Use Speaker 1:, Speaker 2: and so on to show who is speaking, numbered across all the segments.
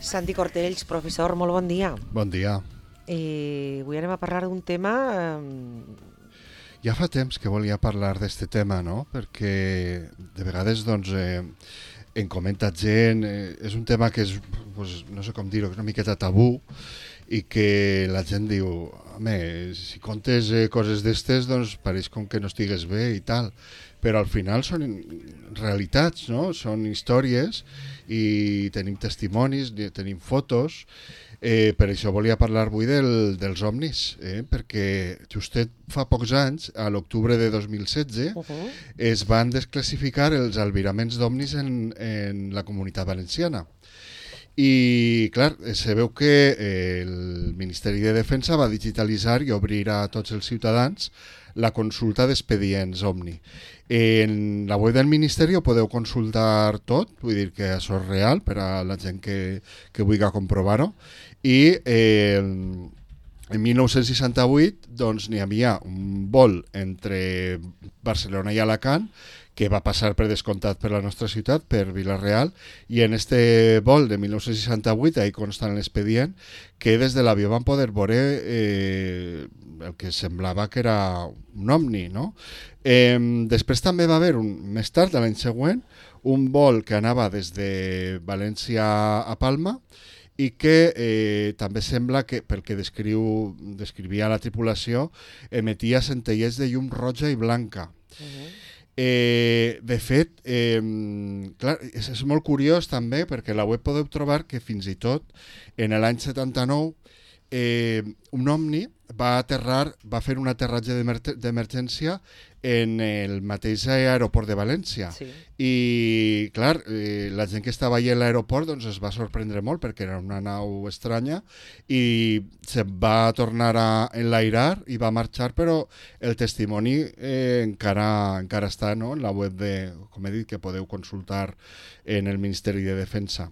Speaker 1: Santi Cortells, professor, molt bon dia.
Speaker 2: Bon dia.
Speaker 1: Avui anem a parlar d'un tema...
Speaker 2: Ja fa temps que volia parlar d'este tema, no? Perquè de vegades doncs, en comenta gent, és un tema que és, pues, no sé com dir-ho, una miqueta tabú, i que la gent diu, home, si contes coses d'estes, doncs pareix com que no estigues bé i tal, però al final són realitats, no? Són històries i tenim testimonis, tenim fotos. Per això volia parlar avui dels ovnis, perquè justet fa pocs anys, a l'octubre de 2016, es van desclassificar els albiraments d'ovnis en la Comunitat Valenciana. I, clar, se veu que el Ministeri de Defensa va digitalitzar i obrir a tots els ciutadans la consulta d'expedients OVNI. En la web del Ministeri ho podeu consultar tot, vull dir que això és real per a la gent que vulgui comprovar-ho. I en 1968 doncs, n'hi havia un vol entre Barcelona i Alacant que va passar per descomptat per la nostra ciutat, per Vila-real, i en este vol de 1968, ahí consta en l'expedient, que des de l'avió van poder veure el que semblava que era un ovni, no? Després també va haver, més tard, l'any següent, un vol que anava des de València a Palma, i que també sembla que, pel que descrivia la tripulació, emetia centellers de llum roja i blanca. De fet, clar, és molt curiós també, perquè a la web podeu trobar que fins i tot en l'any 79 un ovni va fer un aterratge d'emergència en el mateix aeroport de València. Sí. I, clar, la gent que estava allà a l'aeroport doncs, es va sorprendre molt perquè era una nau estranya i se va tornar a enlairar i va marxar, però el testimoni encara està, no?, en la web com he dit, que podeu consultar en el Ministeri de Defensa.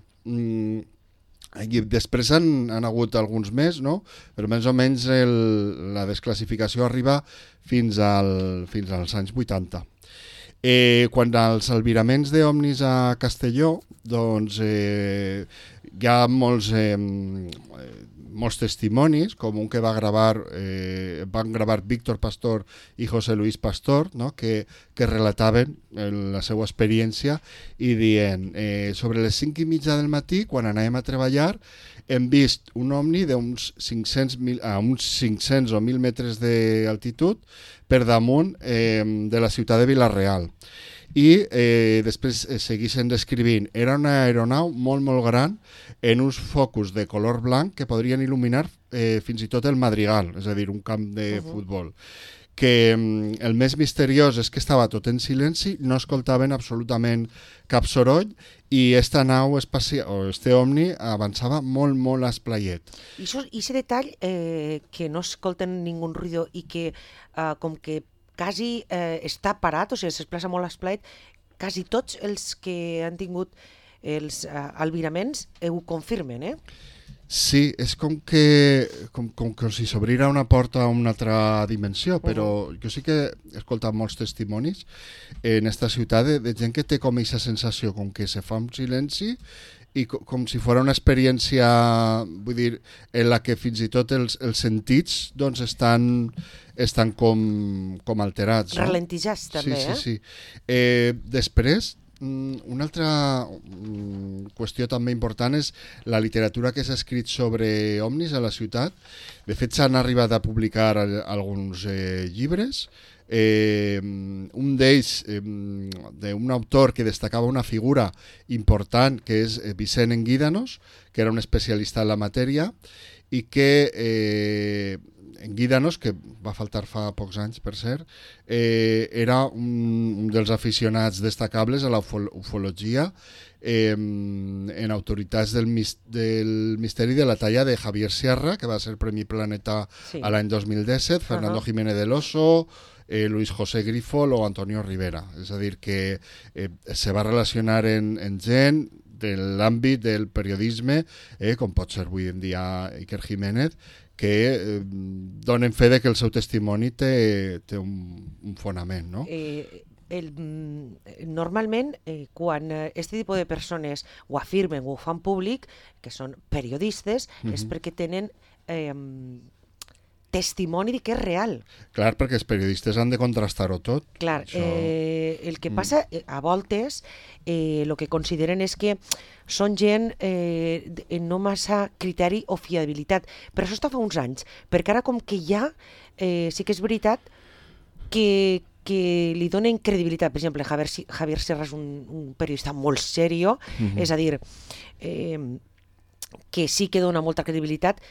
Speaker 2: I després han hagut alguns més, no? Però més o menys la desclassificació arriba fins als anys 80. Quan als albiraments d'ovnis a Castelló, doncs hi ha molts testimonis, com un que van gravar Víctor Pastor i José Luis Pastor, no? que relataven la seva experiència i dient, sobre les 5:30 del matí, quan anàvem a treballar, hem vist un ovni d'uns 500 o 1.000 metres d'altitud per damunt de la ciutat de Vila-real. I després segueixen descrivint. Era una aeronau molt, molt gran en uns focus de color blanc que podrien il·luminar fins i tot el Madrigal, és a dir, un camp de futbol. Que el més misteriós és que estava tot en silenci, no escoltaven absolutament cap soroll i esta nau espacial, o este ovni, avançava molt, molt esplaiet.
Speaker 1: I aquest detall que no escolten ningú ruïdo i que com que quasi està parat, o sigui, s'esplaça molt esplaiet, quasi tots els que han tingut els albiraments ho confirmen,
Speaker 2: Sí, és com que si s'obrira una porta a una altra dimensió, però jo sí que he escoltat molts testimonis en esta ciutat de gent que té com aquesta sensació, com que se fa un silenci i com si fos una experiència, vull dir, en la que fins i tot els sentits doncs estan com alterats.
Speaker 1: Ralentijats, també,
Speaker 2: Sí. Després, una altra qüestió també important és la literatura que s'ha escrit sobre ovnis a la ciutat. De fet, s'han arribat a publicar alguns llibres. Un d'ells d'un autor que destacava una figura important que és Vicent Enguídanos, que era un especialista en la matèria i que Enguídanos, que va faltar fa pocs anys per cert, era un dels aficionats destacables a la ufologia en autoritats del misteri de la talla de Javier Sierra, que va ser Premi Planeta a l'any 2017, Fernando Jiménez del Oso, Luis José Grifol o Antonio Rivera. És a dir, que se va relacionar en gent de l'àmbit del periodisme, com pot ser avui en dia Iker Jiménez, que donen fe de que el seu testimoni té un fonament, no?
Speaker 1: normalment, quan aquest tipus de persones ho afirmen o ho fan públic, que són periodistes, és perquè tenen testimoni de que és real.
Speaker 2: Clar, perquè els periodistes han de contrastar-ho tot.
Speaker 1: Clar, el que passa a voltes, el que consideren és que són gent no massa criteri o fiabilitat, però això està fa uns anys, perquè ara com que ja sí que és veritat que li donen credibilitat. Per exemple, Javier Serra és un periodista molt serio, és a dir, que sí que dona molta credibilitat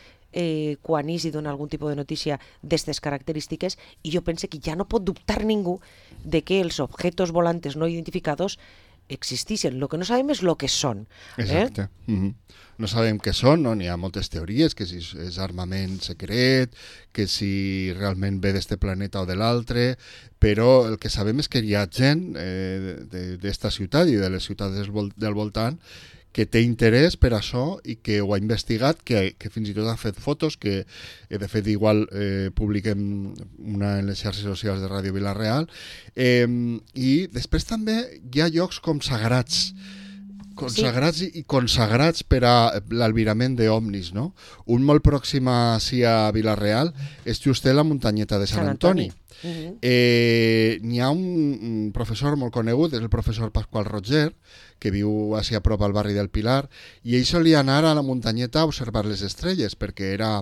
Speaker 1: quan Isi dona algun tipus de notícia d'aquestes característiques, i jo penso que ja no pot dubtar ningú de que els objetos volantes no identificados existeixen. El que no sabem és el que són.
Speaker 2: Exacte. No sabem què són, no? N'hi ha moltes teories, que si és armament secret, que si realment ve d'este planeta o de l'altre, però el que sabem és que hi ha gent d'esta ciutat i de les ciutats del voltant que té interès per això i que ho ha investigat, que fins i tot ha fet fotos, que de fet igual publiquem una en les xarxes socials de Ràdio Vila-real, i després també hi ha llocs com sagrats, i consagrats per a l'albirament d'ovnis, no? Un molt pròxim a Vila-real és just la muntanyeta de Sant Antoni. N'hi ha un professor molt conegut, és el professor Pasqual Roger, que viu a prop al barri del Pilar, i ell solia anar a la muntanyeta a observar les estrelles, perquè era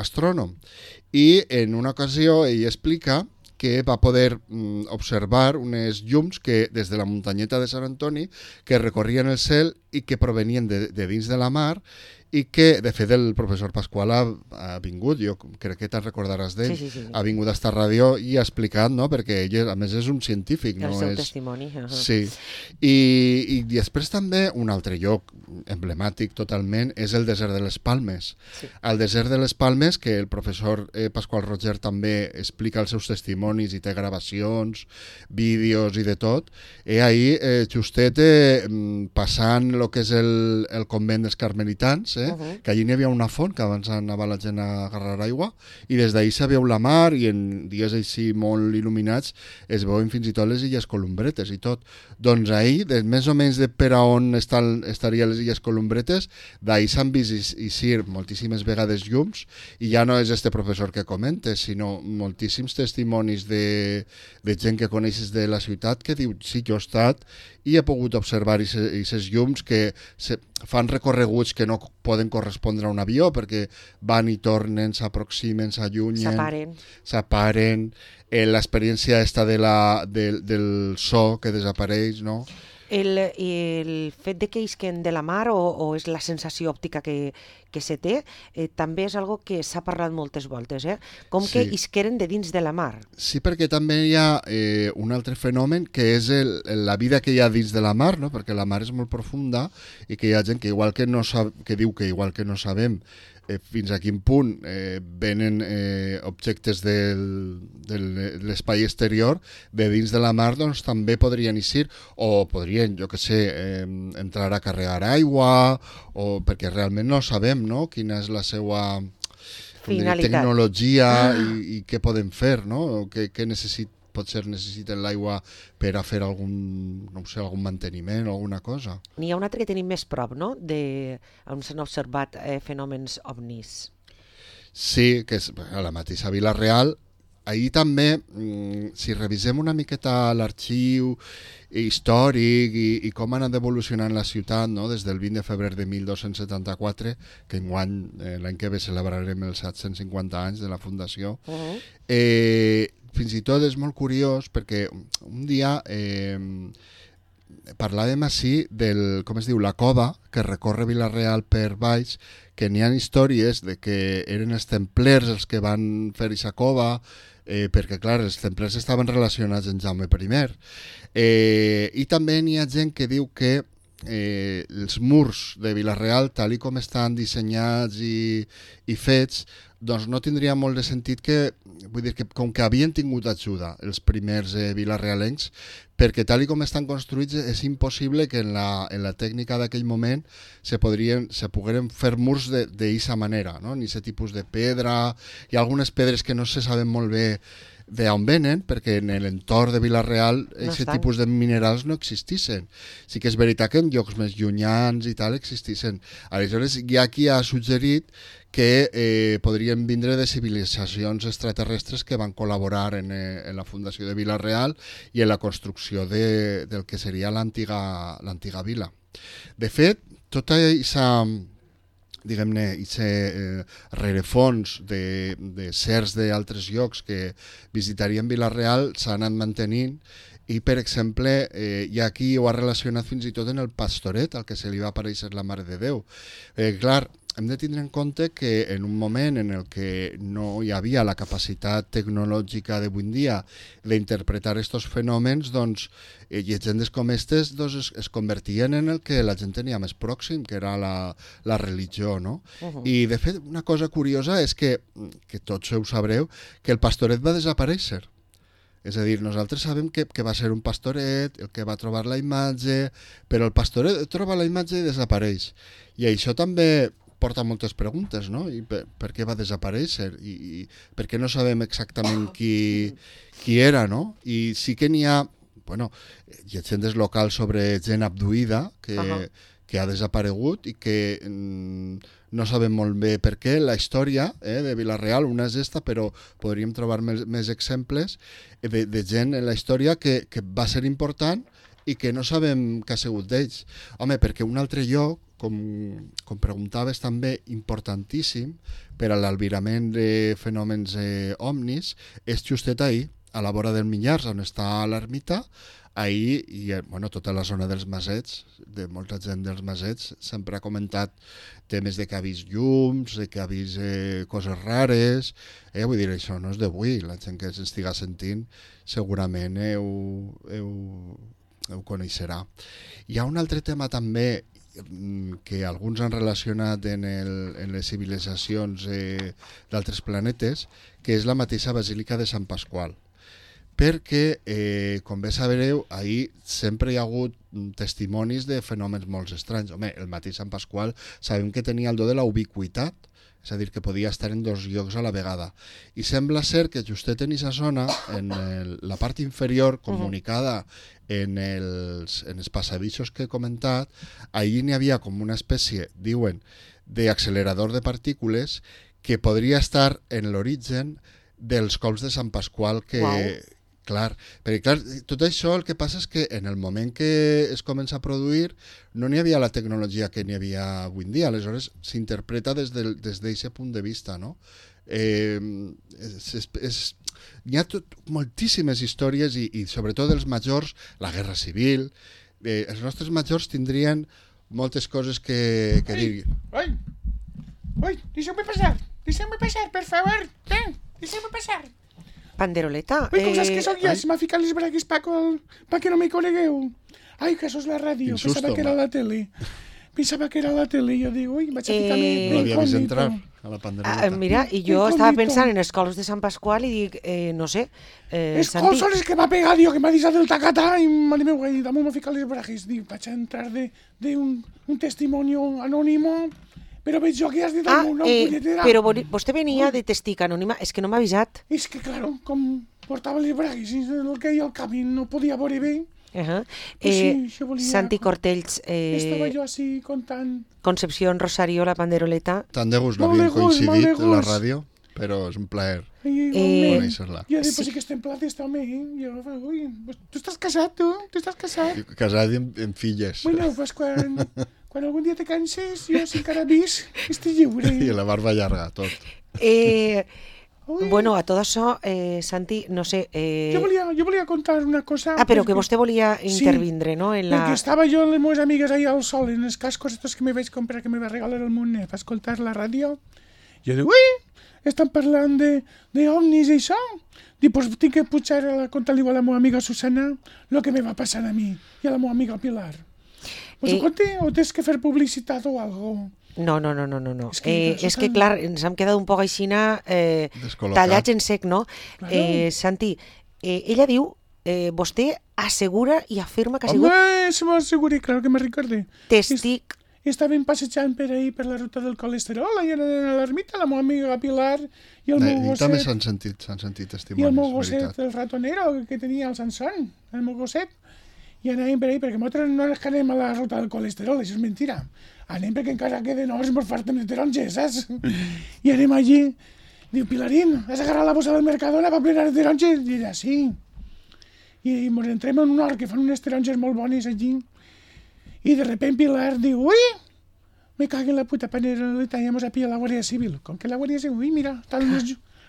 Speaker 2: astrònom. I en una ocasió ell explica que va poder observar unes llums que des de la muntanyeta de Sant Antoni que recorrien el cel i que provenien de dins de la mar, i que, de fet, el professor Pasqual ha vingut, jo crec que te'n recordaràs d'ell, ha vingut a esta ràdio i ha explicat, no?, perquè ell, a més, és un científic.
Speaker 1: El seu testimoni.
Speaker 2: Sí. I després també un altre lloc emblemàtic totalment és el desert de les Palmes. Al desert de les Palmes, que el professor Pasqual Roger també explica els seus testimonis i té gravacions, vídeos i de tot, ahir justet passant el que és el convent dels carmelitans, que allí n'hi havia una font, que abans anava la gent a agarrar aigua, i des d'ahir se veu la mar, i en dies així molt il·luminats es veuen fins i tot les illes Columbretes i tot. Doncs ahir, més o menys de per a on estarien les illes Columbretes, d'ahir s'han vist eixir moltíssimes vegades llums, i ja no és este professor que comentes, sinó moltíssims testimonis de gent que coneixes de la ciutat que diu, sí, jo he estat i he pogut observar aquestes llums que fan recorreguts que no poden correspondre a un avió perquè van i tornen, s'aproximen, s'allunyen, s'aparen, l'experiència esta del so que desapareix, no?
Speaker 1: El fet de que isquen de la mar o és la sensació òptica que se té, també és algo que s'ha parlat moltes voltes, com que isqueren de dins de la mar.
Speaker 2: Sí, perquè també hi ha un altre fenomen que és la vida que hi ha dins de la mar, no? Perquè la mar és molt profunda i que hi ha gent que igual que diu que igual que no sabem fins a quin punt venen objectes de l'espai exterior de dins de la mar, doncs també podrien eixir o podrien, jo que sé, entrar a carregar aigua, o perquè realment no sabem, no?, quina és la seva tecnologia i què poden fer, no?, què potser necessiten l'aigua per a fer algun manteniment o alguna cosa.
Speaker 1: N'hi ha un altre que tenim més prop, no?, on s'han observat fenòmens ovnis.
Speaker 2: Sí, que és a la mateixa Vila-real. Ahir també, si revisem una miqueta l'arxiu històric i com ha anat evolucionant la ciutat, no?, des del 20 de febrer de 1274, que enguany, l'any que ve, celebrarem els 750 anys de la fundació, fins i tot és molt curiós perquè un dia parlàvem així del, com es diu, la cova que recorre Vila-real per baix, que n'hi ha històries de que eren els templers els que van fer aquesta cova, perquè clar, els templers estaven relacionats amb Jaume I. I també n'hi ha gent que diu que els murs de Vila-real, tal i com estan dissenyats i fets, doncs no tindria molt de sentit vull dir que com que havien tingut ajuda els primers vilarealencs, perquè tal i com estan construïts és impossible que en la tècnica d'aquell moment se pogueren fer murs d'aquesta manera, no? Ni aquest tipus de pedra, hi ha algunes pedres que no se saben molt bé d'on venen, perquè en l'entorn de Vila-real aquest tipus de minerals no existissin. Sí que és veritat que en llocs més llunyans i tal existissin. Aleshores, hi ha qui ha suggerit que podrien vindre de civilitzacions extraterrestres que van col·laborar en la fundació de Vila-real i en la construcció del que seria l'antiga vila. De fet, tota aquesta diguem-ne, rerefons de certs d'altres llocs que visitarien Vila-real s'han anat mantenint i, per exemple, hi ha qui ho ha relacionat fins i tot en el Pastoret, al que se li va aparèixer la Mare de Déu. Clar, hem de tindre en compte que en un moment en el que no hi havia la capacitat tecnològica d'avui en dia d'interpretar aquests fenòmens, doncs, llegendes com aquestes es convertien en el que la gent tenia més pròxim, que era la religió, no? I, de fet, una cosa curiosa és que tots ho sabreu, que el Pastoret va desaparèixer. És a dir, nosaltres sabem que va ser un pastoret, el que va trobar la imatge, però el pastoret troba la imatge i desapareix. I això també porta moltes preguntes, no? I per què va desaparèixer? I per què no sabem exactament qui era, no? I sí que n'hi ha, llegendes locals sobre gent abduïda que ha desaparegut i que no sabem molt bé per què. La història de Vila-real, una és esta, però podríem trobar més exemples de gent en la història que va ser important i que no sabem què ha sigut d'ells. Home, perquè un altre lloc, com preguntaves també, importantíssim per a l'albirament de fenòmens ovnis, és justet ahir, a la vora del Minyars, on està l'ermita. Ahir, i tota la zona dels Masets, de molta gent dels Masets, sempre ha comentat temes de que ha vist llums, de que ha vist coses rares. Vull dir, això no és d'avui, la gent que s'estiga sentint segurament ho coneixerà. Hi ha un altre tema també que alguns han relacionat en les civilitzacions d'altres planetes, que és la mateixa Basílica de Sant Pasqual. Perquè, com bé sabreu, ahir sempre hi ha hagut testimonis de fenòmens molt estranys. Home, el mateix Sant Pasqual sabem que tenia el do de la ubiquitat, és a dir, que podia estar en dos llocs a la vegada. I sembla ser que justet en aquesta zona, en la part inferior, comunicada en els passadissos que he comentat, allí n'hi havia com una espècie, diuen, d'accelerador de partícules que podria estar en l'origen dels cols de Sant Pasqual que... Wow. Clar, tot això el que passa és que en el moment que es comença a produir no n'hi havia la tecnologia que n'hi havia avui en dia, aleshores s'interpreta des d'aquest punt de vista, no? Hi ha moltíssimes històries i sobretot els majors, la guerra civil, els nostres majors tindrien moltes coses que dir.
Speaker 3: Oi, deixeu-me passar, per favor, deixeu-me passar.
Speaker 1: Panderoleta.
Speaker 3: Ui, coses que sóc jo, se m'ha ficat les bragues pa que no me conegueu. Ai, que això és la ràdio, pensava que era la tele. Jo dic, ui, vaig a ficar-me...
Speaker 2: No l'havia vist entrar a la panderoleta.
Speaker 1: Mira, i jo estava pensant en els cols de Sant Pasqual i dic, no sé,
Speaker 3: els cols són els que m'ha pegat, que m'ha deixat el tacatà i mare meu, damunt m'ha ficat les bragues. Dic, vaig a entrar d'un testimoni anònimo. Però veig jo que has dit el meu nom, punyetera.
Speaker 1: Però vostè venia de testic anònima, és que no m'ha avisat.
Speaker 3: És que, claro, com portava les bragues i el que hi ha al camí no podia veure bé.
Speaker 1: Santi Cortells.
Speaker 3: Estava jo així contant.
Speaker 1: Concepción Rosario, la panderoleta.
Speaker 2: Tant de gust no havíem coincidit en la ràdio, però és un plaer conèixer-la.
Speaker 3: Jo dic, pues sí que estem plates també. Ui, tu estàs casat, tu? Tu estàs casat?
Speaker 2: Casat amb filles.
Speaker 3: Bueno, pues quan algun dia te canses, jo si encara vis, estic lliure.
Speaker 2: I la barba llarga, tot.
Speaker 1: Bueno, a tot això, Santi, no sé...
Speaker 3: Jo volia contar una cosa...
Speaker 1: però que vostè volia intervindre, no?
Speaker 3: Perquè estava jo amb les meves amigues ahir al sol, en els cascos estos que me vaig comprar, que me va regalar el Monet, per escoltar la ràdio. Jo dic, ui, estan parlant d'ovnis i això. Dic, pues tinc que pujar a contar-li a la meva amiga Susana el que me va passar a mi i a la meva amiga Pilar. Pues ho conté o tens que fer publicitat o algo?
Speaker 1: No. És que, clar, ens hem quedat un poc així tallats en sec, no? Claro. Santi, ella diu, vostè assegura i afirma que ha sigut...
Speaker 3: Home, se m'assegura, claro que me recorde.
Speaker 1: Testic
Speaker 3: estàvem passejant per ahir per la ruta del colesterol, allà a l'ermita, la meva amiga Pilar i el meu gosset.
Speaker 2: I també s'han sentit testimonis,
Speaker 3: I el meu gosset, el ratonero que tenia el Sansón, el meu gosset. I anàvem per ahir, perquè nosaltres no és que anem a la ruta del colesterol, això és mentira. Anem perquè encara queden hores per fer-te'n de taronges, saps? I anem allí. Diu, Pilarín, has agarrat la bossa del Mercadona per plenar de taronges? I ella, sí. I ens entrem en un hort que fan unes taronges molt bones allí. I de repente Pilar diu, uy, me cago en la puta paneroleta, ja mos ha pillat la Guàrdia Civil. Com que la Guàrdia Civil, uy, mira,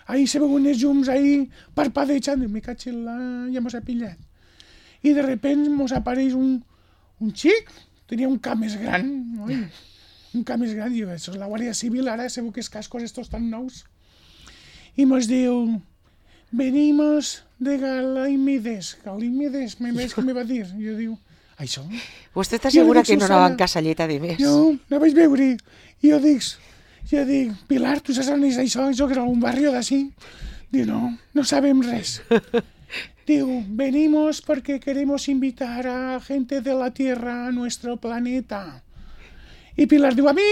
Speaker 3: ahí se veuen unes llums ahí parpadejant. Me cago en la... ja mos ha pillat. I de repente mos apareix un xic, tenia un cap més gran, oi? Un cap més gran, diu, això és la Guàrdia Civil, ara sabeu que els cascos estos tan nous. I mos diu, venimos de Galímedes, me va dir. Jo diu, això?
Speaker 1: Vostè està segura que no anava en casalleta de més?
Speaker 3: No, no vaig veure. I jo dic, Pilar, tu saps on és això? Això que era un barri d'ací? Diu, no sabem res. Diu, venimos porque queremos invitar a gente de la Tierra a nuestro planeta. I Pilar diu, a mi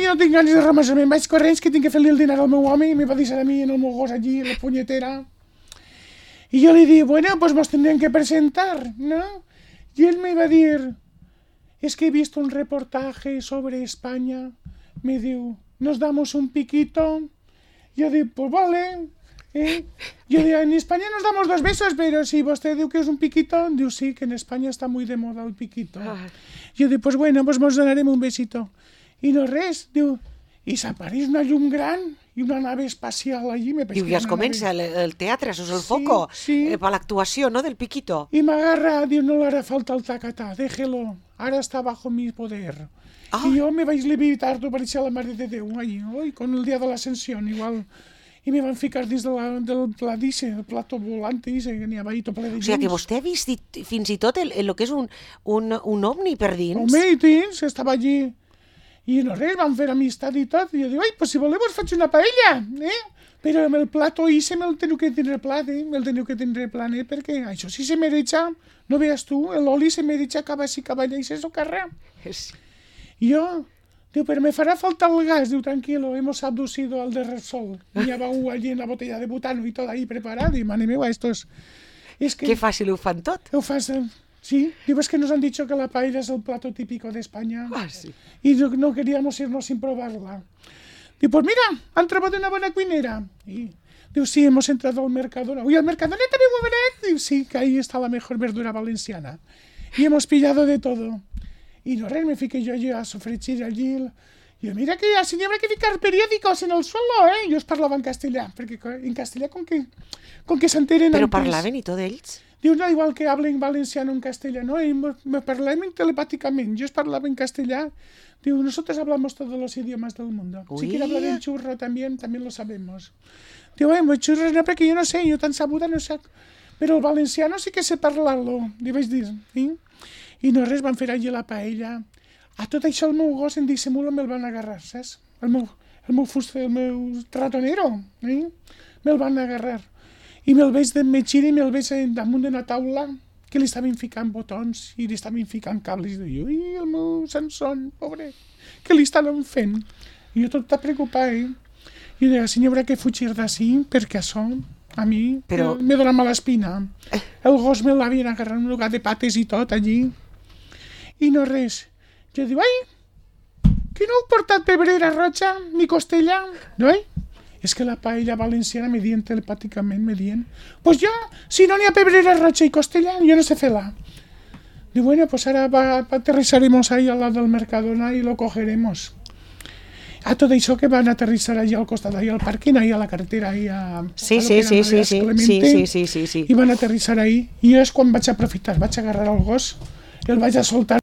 Speaker 3: no tinc ganes de remasar, me'n vaig corrents que tinc que fer-li el dinar al meu home i me va deixar a mi en el meu gos allí, la punyetera. I jo li dic, bueno, pues nos tendrán que presentar, ¿no? Y él me va a decir, es que he visto un reportaje sobre España. Me diu, nos damos un piquito. Yo digo, pues vale. Yo digo, en España nos damos 2 besos, pero si usted diu que es un piquito, diu, sí, que en España está muy de moda el piquito. Yo digo, pues bueno, pues nos donaremos un besito. I no res, diu, i s'apareix una llum gran i una nave espacial allí.
Speaker 1: Diu, ja es comença el teatre, això és el foco, per l'actuació, no?, del piquito.
Speaker 3: I m'agarra, diu, no le hará falta el tacatà, déjelo, ara està bajo mi poder. I jo me vaig levitar, tu pareixia la Mare de Déu, allí, con el dia de l'ascensió, igual. I me van ficar dins del pla d'Ice, el plato volante, que n'hi havia ahí tot ple de llums.
Speaker 1: O sigui, que vostè ha vist fins i tot el que és un ovni per dins?
Speaker 3: Home, i dins, estava allí. I no res, van fer amistat i tot. I jo dic, pues si voleu us faig una paella, Però amb el plato Ice me'l teniu que tindre plat, me'l teniu que tindre planet, perquè això sí se mereja, no veus tu, l'oli se mereja cap així, cap allà, i se socarra. I jo, diu, però me farà falta el gas, diu, tranquilo, hemos abducido al de Repsol. Y ya va allí en la botella de butano y todo ahí preparado, y mare meva, esto es...
Speaker 1: Que fàcil ho fan tot.
Speaker 3: Ho fas... Sí, digo, es que nos han dicho que la paella es el plato típico de España.
Speaker 1: Sí.
Speaker 3: Y no queríamos irnos sin probarla. Digo, pues mira, han trobat una buena cuinera. Y digo, sí, hemos entrado al Mercadona. Uy, al Mercadona también muy barato. Digo, sí, que ahí está la mejor verdura valenciana. Y hemos pillado de todo. Y no res, me fiqué yo allí a sofregir allí. Y yo, mira que así habrá que ficar periódicos en el suelo, Yo os parlava en castellà, perquè en castellà com que s'enteren
Speaker 1: Però
Speaker 3: antes.
Speaker 1: parlaven i tot ells?
Speaker 3: Diu, no, igual que hablen valenciano en castellano, me parlaven telepáticamente, yo os parlava en castellà. Diu, nosotros hablamos todos los idiomas del mundo. Si quiere hablar en churro también lo sabemos. Diu, churros no, perquè jo no sé, jo tan sabuda no sé. Però el valenciano sí que sé parlar-lo, li vaig dir. I no res, van fer allí la paella. A tot això el meu gos en dissimula me'l van agarrar, saps? El meu ratonero, me'l van agarrar. I me'l veig metgir i me'l veig damunt d'una taula que li estaven ficant botons i li estaven ficant cables. I jo, el meu Sansón, pobre, què li estan fent? I jo tot està preocupat, I deia, si n'hi haurà que fugir d'ací, perquè això, a mi, me dona mala espina. El gos me l'havien agarrat un lugar de pates i tot, allí. I no res. Jo dic, que no heu portat pebrera roja ni costella? No, És que la paella valenciana me dient telepàticament, pues yo, si no n'hi ha pebrera roja i costella, yo no sé fer-la. Diu, bueno, pues ahora aterrizaremos ahí al lado del Mercadona y lo cogeremos. A tot això que van aterrissar allà al costat, allà al pàrquing, allà a la carretera, allà a
Speaker 1: Sí.
Speaker 3: I van aterrissar ahí. I jo és quan vaig aprofitar, vaig agarrar el gos, el vaig a soltar.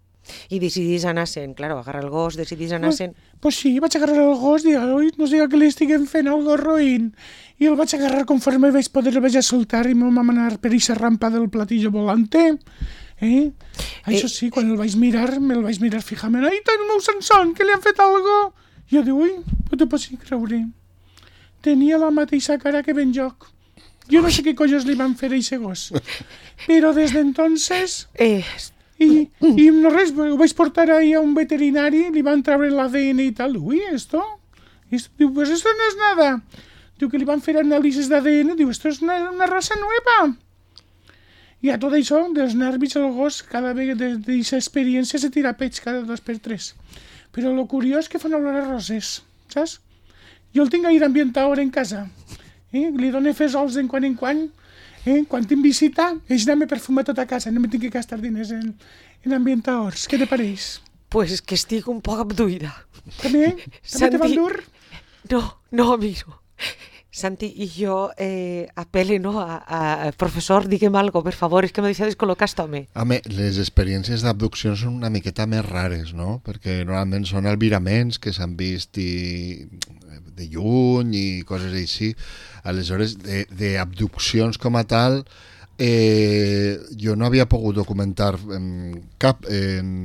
Speaker 1: I decidís anar-se'n, claro, agarrar el gos, decidís anar-se'n.
Speaker 3: Pues sí, vaig agarrar el gos i no sé que li estiguen fent algo roïn. I el vaig agarrar conforme vaig poder, el vaig a soltar i me'l vam anar per aquesta rampa del platillo volante. Això sí, quan el vaig mirar, me'l vaig mirar fijament. Ai, el meu Sansón, que li han fet algo? I jo dic, no t'ho pots creure. Tenia la mateixa cara que ben joc. Jo no sé què collos li van fer a aquest gos. Però des d'entonces I no res, ho vaig portar ahí a un veterinari, li van treure l'ADN i tal. Ui, esto? Diu, pues esto no es nada. Diu que li van fer anàlisis d'ADN, diu, esto es una raza nueva. I a tot això, dels nervis, el gos, cada vegada d'aquesta experiència se tira peix cada 2 per 3. Però lo curiós que fan olor a roses, saps? Jo el tinc aire ambientador en casa. Li dono fesols en quan. Quan tinc visita, ell me perfuma tota casa, no me tinc que gastar diners en ambientadors. Què te pareix?
Speaker 1: Pues que estic un poc abduïda.
Speaker 3: També? També te van dur?
Speaker 1: No, amigo. Santi, y yo apele, ¿no? a profesor, digue'm algo, per favor, és que me deixa descol·locar home.
Speaker 2: Home, les experiències d'abducció són una miqueta més rares, no? Perquè normalment són albiraments que s'han vist de lluny i coses així. Aleshores, d'abduccions com a tal, jo no havia pogut documentar cap en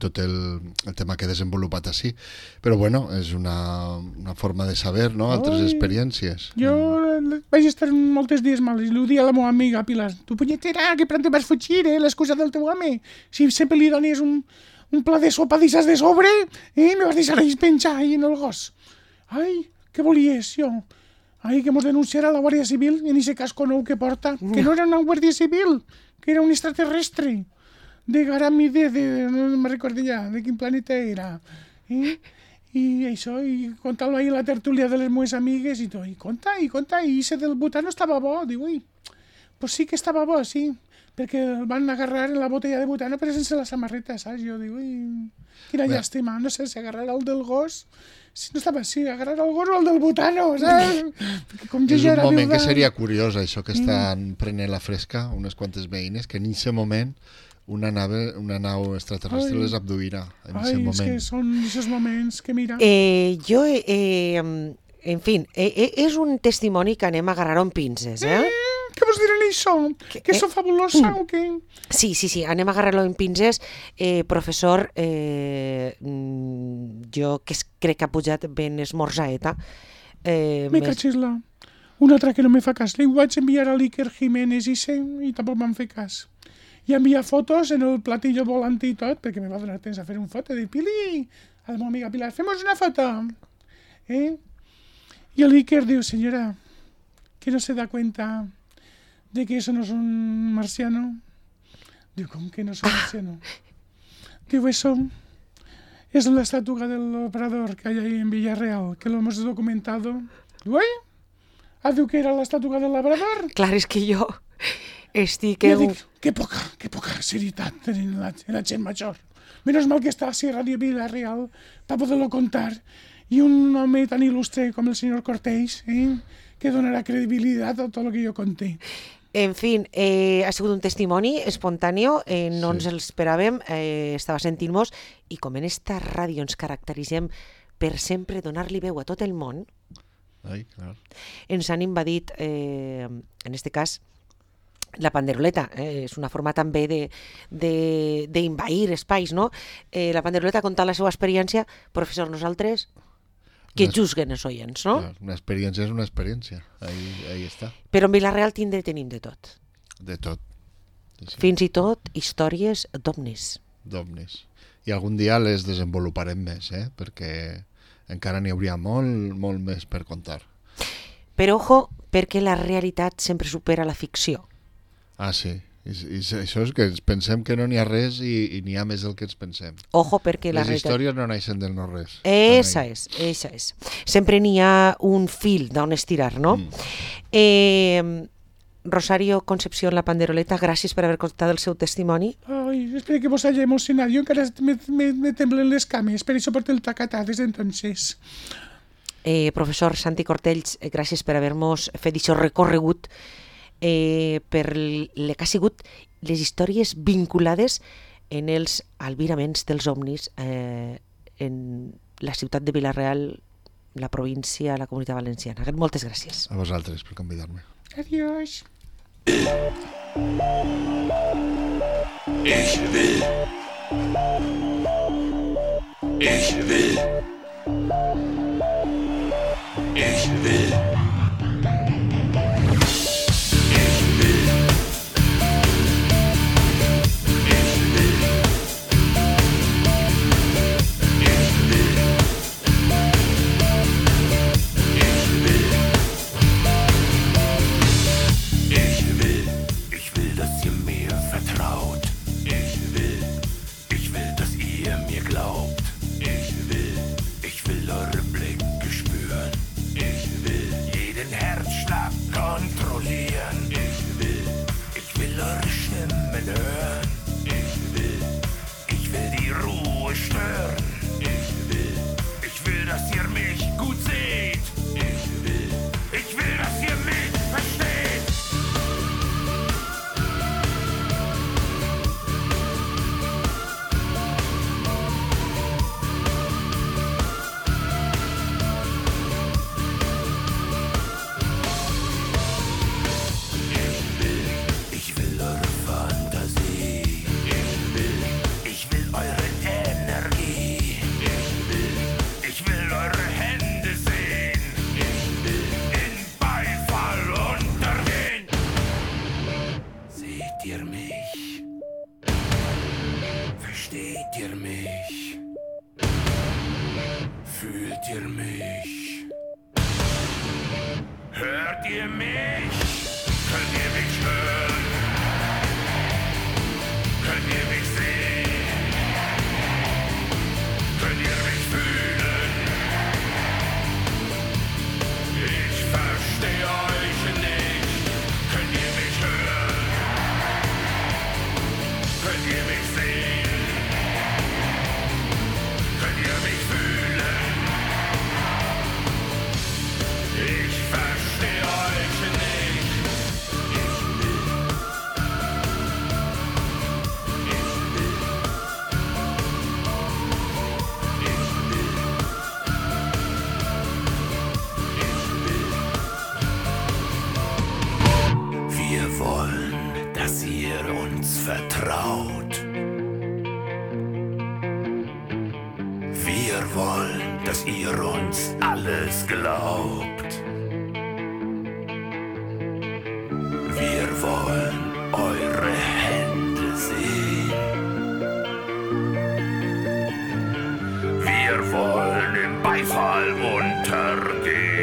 Speaker 2: tot el tema que he desenvolupat així, però bueno, és una forma de saber, no?, altres experiències.
Speaker 3: Jo vaig estar molts dies mal, i li dia a la meva amiga Pilar, tu punyetera, que pronto vas fugir, l'excusa del teu home, si sempre li donies un pla de sopa d'aixes de sobre, me vas deixar ahí penjar ahí en el gos. Ai, què volies, jo? Ai, que mos denunciarà la Guàrdia Civil en ese casco nou que porta, que no era una Guàrdia Civil, que era un extraterrestre, de Garamide, no me recordo ja, de quin planeta era. I això, i contar-lo ahí a la tertúlia de les meves amigues, i tot, i conta, i ese del butano estava bo, diu, ui, pues sí que estava bo, sí, perquè el van agarrar en la botella de butano, però sense la samarreta, saps? Jo diu, ui, quina llàstima, no sé si agarrar el del gos, si no estava així, agarrar el gos o el del butano, saps? Com jo
Speaker 2: és
Speaker 3: ja
Speaker 2: un
Speaker 3: era
Speaker 2: moment
Speaker 3: viuda.
Speaker 2: que seria curiós, això que estan prenent la fresca, unes quantes veïnes, que en aquest moment una nau extraterrestre les abduirà.
Speaker 3: Ai, és que són aquests moments que mira...
Speaker 1: En fi, és un testimoni que anem a agarrar amb pinces,
Speaker 3: Què vols dir en això? Que sou fabulosa o què?
Speaker 1: Sí, anem a agarrar-lo en pinces. Professor, jo que crec que ha pujat ben esmorzaeta.
Speaker 3: Me cachis-la. Una altra que no me fa cas. Li vaig enviar a l'Iker Jiménez i tampoc m'han fet cas. I enviar fotos en el platillo volante i tot, perquè me va donar temps a fer una foto. Dic, Pili, a la meva amiga Pilar, femos una foto. Y el Iker diu, señora, que no se da cuenta de que eso no es un marciano. Diu, ¿cómo que no es un marciano? Diu, eso es la estatua del operador que hay ahí en Villarreal, que lo hemos documentado. Diu, diu que era la estatua del labrador.
Speaker 1: Clar, és que jo estic...
Speaker 3: Jo dic, que poca serietat tenen la gent major. Menos mal que està a Radio Villarreal para poder-lo contar. I un home tan il·lustre com el senyor Cortés, que donarà credibilitat a tot el que jo conté.
Speaker 1: En fi, ha sigut un testimoni espontani, no ens l'esperàvem, estava sentint-nos, i com en esta ràdio ens caracteritzem per sempre donar-li veu a tot el món, ens han invadit, en este cas, la panderoleta, és una forma també d'invair espais, no? La panderoleta ha contat la seva experiència, professor, nosaltres... que juzguen els oients, no?
Speaker 2: Una experiència és una experiència, ahí està.
Speaker 1: Però en Vilareal tenim de tot.
Speaker 2: De tot.
Speaker 1: Sí. Fins i tot històries d'ovnis.
Speaker 2: D'ovnis. I algun dia les desenvoluparem més, perquè encara n'hi hauria molt més per contar.
Speaker 1: Però ojo, perquè la realitat sempre supera la ficció.
Speaker 2: Ah, sí. I això és que pensem que no n'hi ha res i n'hi ha més del que ens pensem.
Speaker 1: Ojo, perquè
Speaker 2: les històries no naixen del no res.
Speaker 1: Esa és. Sempre n'hi ha un fil d'on estirar, no? Rosario Concepción La Panderoleta, gràcies per haver contat el seu testimoni.
Speaker 3: Ai, espero que vos hagi emocionat. Jo encara me temblen les cames, per això porto el tacatà des d'entonces.
Speaker 1: Professor Santi Cortells, gràcies per haver-nos fet això recorregut per el que ha sigut les històries vinculades en els albiraments dels ovnis en la ciutat de Vilareal, la província, la Comunitat Valenciana. Moltes gràcies.
Speaker 2: A vosaltres per convidar-me.
Speaker 3: Adiós.
Speaker 4: Ich will. Ich will. dass ihr mich gut seht. Ich will, dass ihr mich versteht. Ich will eure Fantasie. Ich will eure Energie. Ich will eure Hände sehen. In Beifall untergehen. Seht ihr mich? Versteht ihr mich? Fühlt ihr mich? Hört ihr mich? Könnt ihr mich hören? Könnt ihr mich sehen? Könnt ihr mich fühlen? Ich verstehe euch nicht. Könnt ihr mich hören? Könnt ihr mich sehen? Könnt ihr mich fühlen? Ich verstehe euch nicht. Wir wollen, dass ihr uns vertraut. Wir wollen, dass ihr uns alles glaubt. Wir wollen eure Hände sehen. Wir wollen im Beifall untergehen.